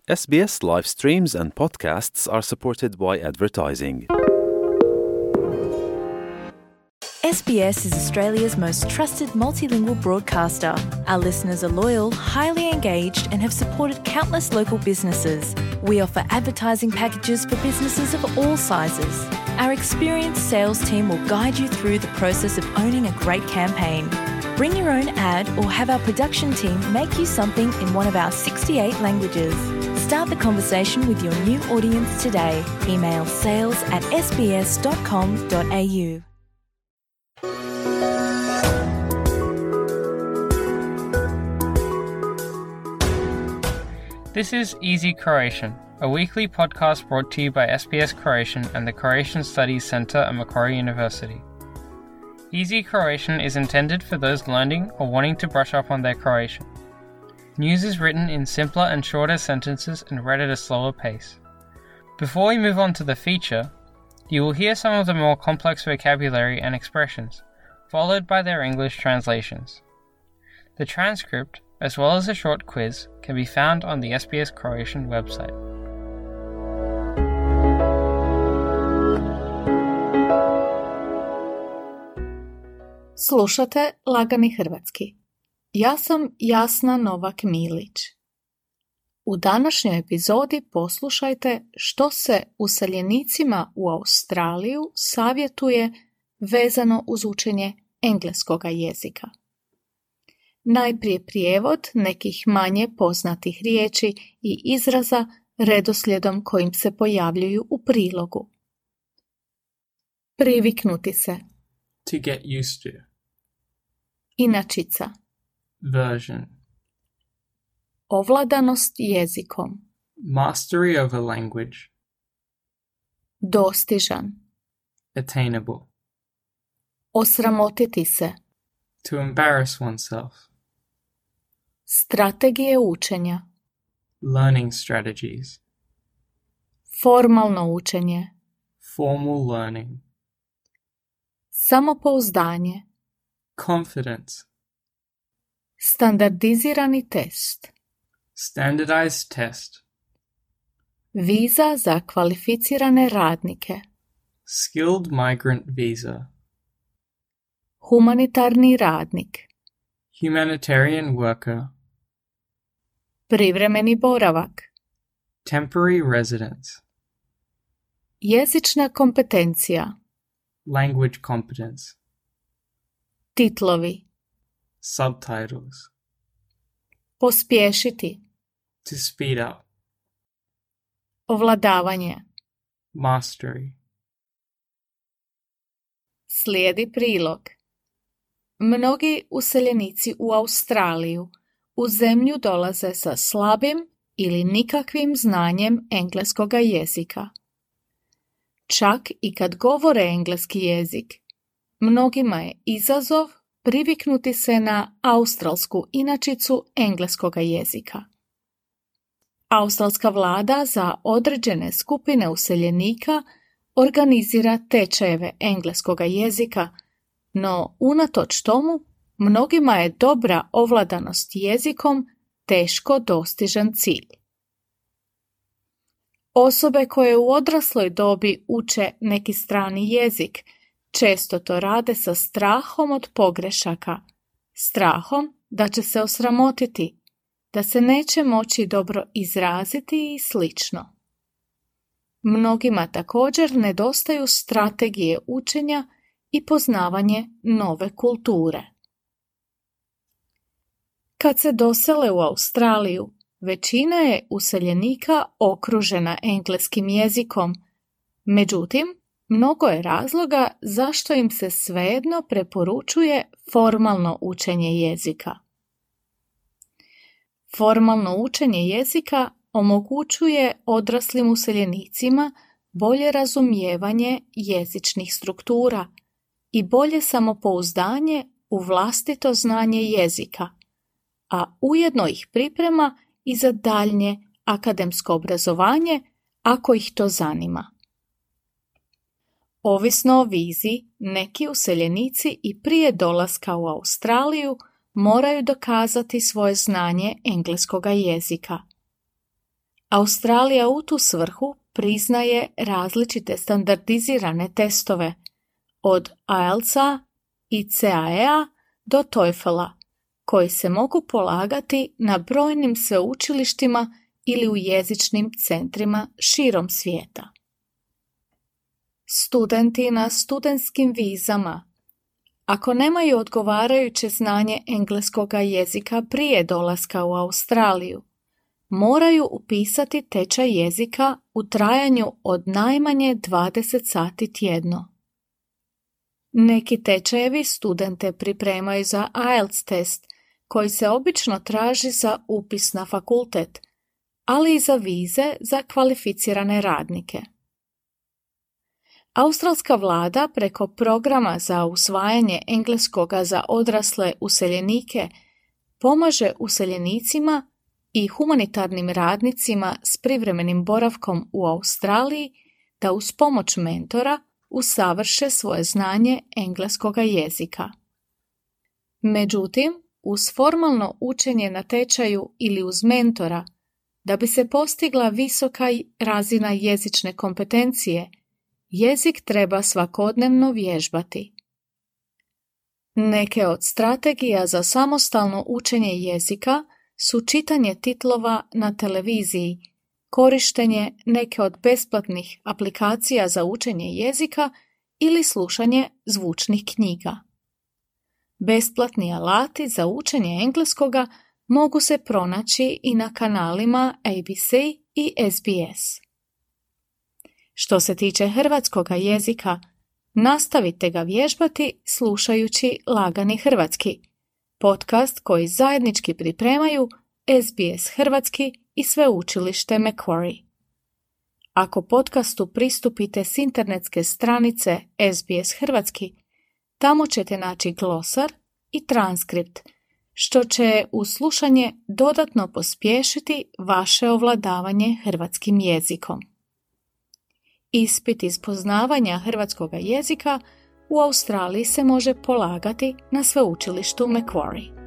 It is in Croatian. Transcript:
SBS live streams and podcasts are supported by advertising. SBS is Australia's most trusted multilingual broadcaster. Our listeners are loyal, highly engaged, and have supported countless local businesses. We offer advertising packages for businesses of all sizes. Our experienced sales team will guide you through the process of owning a great campaign. Bring your own ad or have our production team make you something in one of our 68 languages. Start the conversation with your new audience today. Email sales@sbs.com.au. This is Easy Croatian, a weekly podcast brought to you by SBS Croatian and the Croatian Studies Centre at Macquarie University. Easy Croatian is intended for those learning or wanting to brush up on their Croatian. News is written in simpler and shorter sentences and read at a slower pace. Before we move on to the feature, you will hear some of the more complex vocabulary and expressions, followed by their English translations. The transcript, as well as a short quiz, can be found on the SBS Croatian website. Slušate Lagani hrvatski. Ja sam Jasna Novak-Milić. U današnjoj epizodi poslušajte što se useljenicima u Australiju savjetuje vezano uz učenje engleskoga jezika. Najprije prijevod nekih manje poznatih riječi i izraza redoslijedom kojim se pojavljuju u prilogu. Priviknuti se. To get used to. Inačica. Version. Ovladanost jezikom. Mastery of a language. Dostižan. Attainable. Osramotiti se. To embarrass oneself. Strategije učenja. Learning strategies. Formalno učenje. Formal learning. Samopouzdanje. Confidence. Standardizirani test. Standardized test. Viza za kvalificirane radnike. Skilled migrant visa. Humanitarni radnik. Humanitarian worker. Privremeni boravak. Temporary residence. Jezična kompetencija. Language competence. Titlovi. Subtitles. Pospješiti. To speed up. Ovladavanje. Mastery. Slijedi prilog. Mnogi useljenici u Australiju u zemlju dolaze sa slabim ili nikakvim znanjem engleskoga jezika. Čak i kad govore engleski jezik, mnogima je izazov priviknuti se na australsku inačicu engleskoga jezika. Australska vlada za određene skupine useljenika organizira tečajeve engleskoga jezika, no unatoč tomu mnogima je dobra ovladanost jezikom teško dostižan cilj. Osobe koje u odrasloj dobi uče neki strani jezik često to rade sa strahom od pogrešaka, strahom da će se osramotiti, da se neće moći dobro izraziti i slično. Mnogima također nedostaju strategije učenja i poznavanje nove kulture. Kad se dosele u Australiju, većina je useljenika okružena engleskim jezikom, međutim, mnogo je razloga zašto im se svejedno preporučuje formalno učenje jezika. Formalno učenje jezika omogućuje odraslim useljenicima bolje razumijevanje jezičnih struktura i bolje samopouzdanje u vlastito znanje jezika, a ujedno ih priprema i za daljnje akademsko obrazovanje ako ih to zanima. Ovisno o vizi, neki useljenici i prije dolaska u Australiju moraju dokazati svoje znanje engleskoga jezika. Australija u tu svrhu priznaje različite standardizirane testove od IELTS-a i CAE-a do TOEFL-a, koji se mogu polagati na brojnim sveučilištima ili u jezičnim centrima širom svijeta. Studenti na studentskim vizama, ako nemaju odgovarajuće znanje engleskog jezika prije dolaska u Australiju, moraju upisati tečaj jezika u trajanju od najmanje 20 sati tjedno. Neki tečajevi studente pripremaju za IELTS test, koji se obično traži za upis na fakultet, ali i za vize za kvalificirane radnike. Australska vlada preko programa za usvajanje engleskoga za odrasle useljenike pomaže useljenicima i humanitarnim radnicima s privremenim boravkom u Australiji da uz pomoć mentora usavrše svoje znanje engleskoga jezika. Međutim, uz formalno učenje na tečaju ili uz mentora, da bi se postigla visoka razina jezične kompetencije, jezik treba svakodnevno vježbati. Neke od strategija za samostalno učenje jezika su čitanje titlova na televiziji, korištenje neke od besplatnih aplikacija za učenje jezika ili slušanje zvučnih knjiga. Besplatni alati za učenje engleskoga mogu se pronaći i na kanalima ABC i SBS. Što se tiče hrvatskoga jezika, nastavite ga vježbati slušajući Lagani hrvatski, podcast koji zajednički pripremaju SBS Hrvatski i sveučilište Macquarie. Ako podcastu pristupite s internetske stranice SBS Hrvatski, tamo ćete naći glosar i transkript, što će uz slušanje dodatno pospješiti vaše ovladavanje hrvatskim jezikom. Ispit iz poznavanja hrvatskoga jezika u Australiji se može polagati na sveučilištu Macquarie.